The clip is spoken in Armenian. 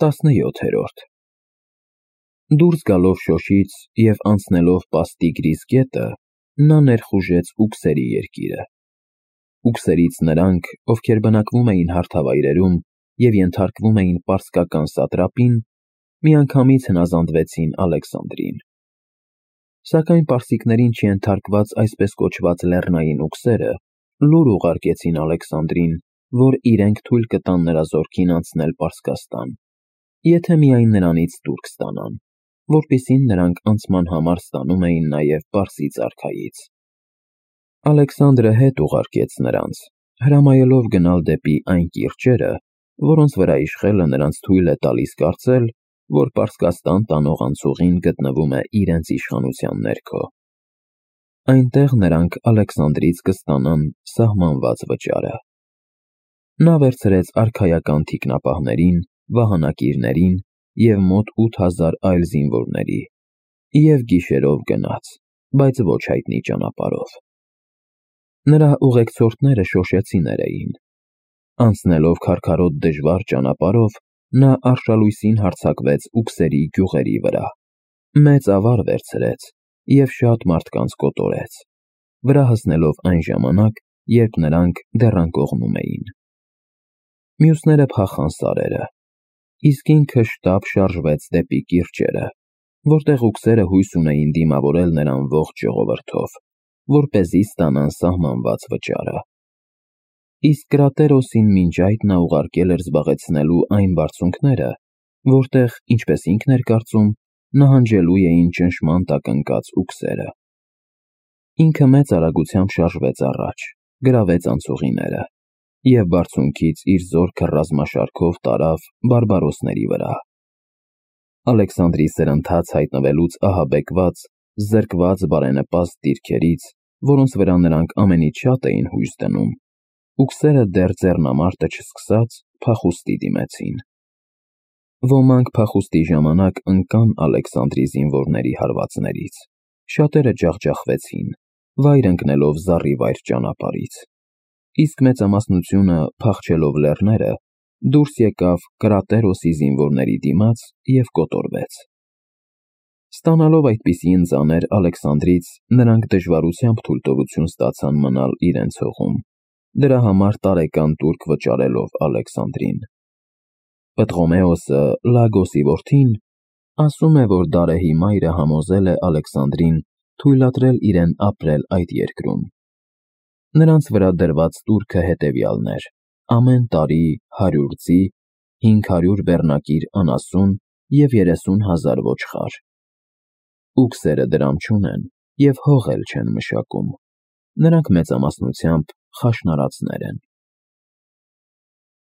17-րդ Դուրս գալով շոշից և անցնելով Պաստիգրիս գետը, նա ներխուժեց Ուքսերի երկիրը։ Ուքսերից նրանք, ովքեր բնակվում էին հարթավայրերում և ենթարկվում էին պարսկական սատրապին, միանգամից հնազանդվեցին Ալեքսանդրին։ Սակայն պարսիկներին չենթարկված այսպես կոչված լեռնային ուքսերը լուր ուղարկեցին Ալեքսանդրին, որ իրենք թույլ կտան նրա զորքին անցնել Պարսկաստան, եթե միայն նրանից տուրք ստանան, որպիսին նրանք անցման համար ստանում էին նաև Պարսից արքայից։ Ալեքսանդրը հետ ուղարկեց նրանց, հրամայելով գնալ դեպի այն կիրճերը, որոնց վրա իշխելը նրանց թույլ է տալիս կարծել, որ Պարսկաստան տանող անցուղին գտնվում է իրենց իշխանության ներքո։ Այնտեղ նրանք Ալեքսանդրից կստանան սահմանված վճարը։ Նա վերցրեց արքայական թիկնապահներին, վահանակիրներին և մոտ 8000 այլ զինվորների և գիշերով գնաց, բայց ոչ հայտնի ճանապարհով։ Նրա ուղեկցորդները շոշեցիներ էին։ Անցնելով քարքարոտ դժվար ճանապարհով, նա արշալույսին հարձակվեց Ուքսերի գյուղերի վրա, մեծ ավար վերցրեց և շատ մարդկանց կոտորեց, վրա հասնելով այն ժամանակ, երբ նրանք դեռ անկողնում էին։ Մյուսները փախան սարերը, իսկ ինքը շտապ շարժվեց դեպի կիրճերը, որտեղ ուքսերը հույս ունեին դիմավորել նրան ողջ ժողովրդով, որպեսզի ստանան սահմանված վճարը։ Իսկ Կրատերոսին մինչ այդ նա ուղարկել էր զբաղեցնելու այն բարձունքները, որտեղ, ինչպես ինքն էր կարծում, նահանջելու էին ճնշման տակ ընկած ուքսերը։ Ինքը մեծ արագությամբ շարժվեց առաջ, գրավեց անցուղիները և բարձունքից իր զորքը ռազմաշարքով տարավ բարբարոսների վրա։ Ալեքսանդրի սրընթաց հայտնվելուց ահաբեկված, զրկված բարենպաստ դիրքերից, որոնց վրա նրանք ամենից շատ էին հույս դնում, ուքսերը դեռ ձեռնամարտը չսկսած փախուստի դիմեցին։ Ոմանք փախուստի ժամանակ ընկան Ալեքսանդրի զինվորների հարվածներից, շատերը ջախջախվեցին, վայր ընկնելով զառիվայր ճանապարհից, իսկ մեծամասնությունը, փախչելով լեռները, դուրս եկավ Կրատերոսի զինվորների դիմաց և կոտորվեց։ Ստանալով այդպիսի ընծաներ Ալեքսանդրից, նրանք դժվարությամբ թույլտվություն ստացան մնալ իրենց հողում, դրա համար տարեկան տուրք վճարելով Ալեքսանդրին։ Պտղոմեոսը, Լագոսի որդին, ասում է, որ Դարեհի մայրը համոզել է Ալեքսանդրին թույլատրել իրեն ապրել այդ երկրում։ Նրանց վրա դրված տուրքը հետևյալն էր. ամեն տարի 100 ձի, 500 բեռնակիր անասուն և 30,000 ոչխար։ Ուքսերը դրամ չունեն և հող էլ չեն մշակում։ Նրանք մեծամասնությամբ խաշնարածներ են։